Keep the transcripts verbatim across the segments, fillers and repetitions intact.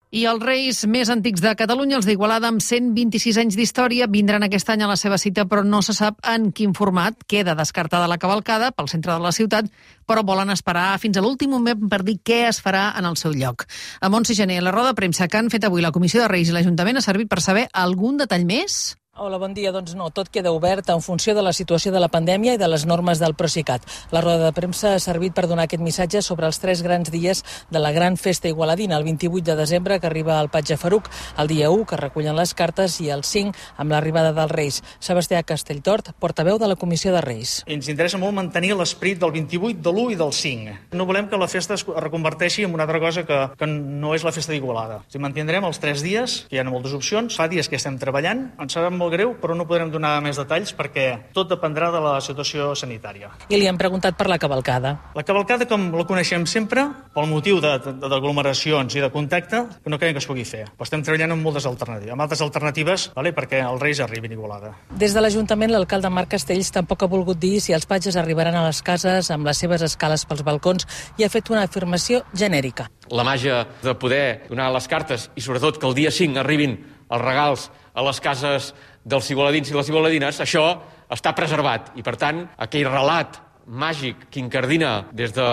I els reis més antics de Catalunya, els d'Igualada, amb cent vint-i-sis anys d'història, vindran aquest any a la seva cita, però no se sap en quin format. Queda descartada la cavalcada pel centre de la ciutat, però volen esperar fins a l'últim moment per dir què es farà en el seu lloc. A Montse Gené, la roda de premsa que han fet avui la Comissió de Reis i l'Ajuntament ha servit per saber algun detall més? Hola, bon dia. Doncs no, tot queda obert en funció de la situació de la pandèmia i de les normes del Procicat. La roda de premsa ha servit per donar aquest missatge sobre els tres grans dies de la gran festa igualadina, el vint-i-vuit de desembre, que arriba al Patge Faruc, el dia u, que recullen les cartes, i el cinc, amb l'arribada dels Reis. Sebastià Castelltort, portaveu de la Comissió de Reis. Ens interessa molt mantenir l'esperit del vint-i-vuit, de l'u i del cinc. No volem que la festa es reconverteixi en una altra cosa que, que no és la festa d'Igualada. Si mantindrem els tres dies, que hi ha moltes opcions, fa dies que estem treballant, ens sabem molt greu, però no podrem donar més detalls perquè tot dependrà de la situació sanitària. I li han preguntat per la cavalcada. La cavalcada, com la coneixem sempre, pel motiu d'aglomeracions i de contacte, que no creiem que es pugui fer. Però estem treballant amb moltes alternatives, amb altres alternatives, vale, perquè els Reis arribin a Igualada. Des de l'Ajuntament, l'alcalde Marc Castells tampoc ha volgut dir si els patges arribaran a les cases amb les seves escales pels balcons i ha fet una afirmació genèrica. La màgia de poder donar les cartes i sobretot que el dia cinc arribin els regals a les cases dels igualadins i les igualadines, això està preservat. I, per tant, aquell relat màgic que incardina des de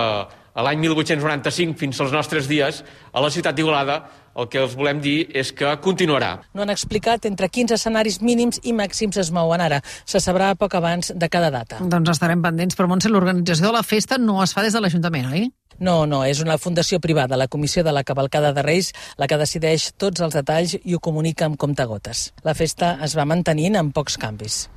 l'any mil vuit-cents noranta-cinc fins als nostres dies a la ciutat d'Igualada, el que els volem dir és que continuarà. No han explicat entre quins escenaris mínims i màxims es mouen ara. Se sabrà poc abans de cada data. Doncs estarem pendents, però Montse, l'organització de la festa no es fa des de l'Ajuntament, oi? No, no, és una fundació privada, la Comissió de la Cavalcada de Reis, la que decideix tots els detalls i ho comunica amb comptagotes. La festa es va mantenint amb pocs canvis.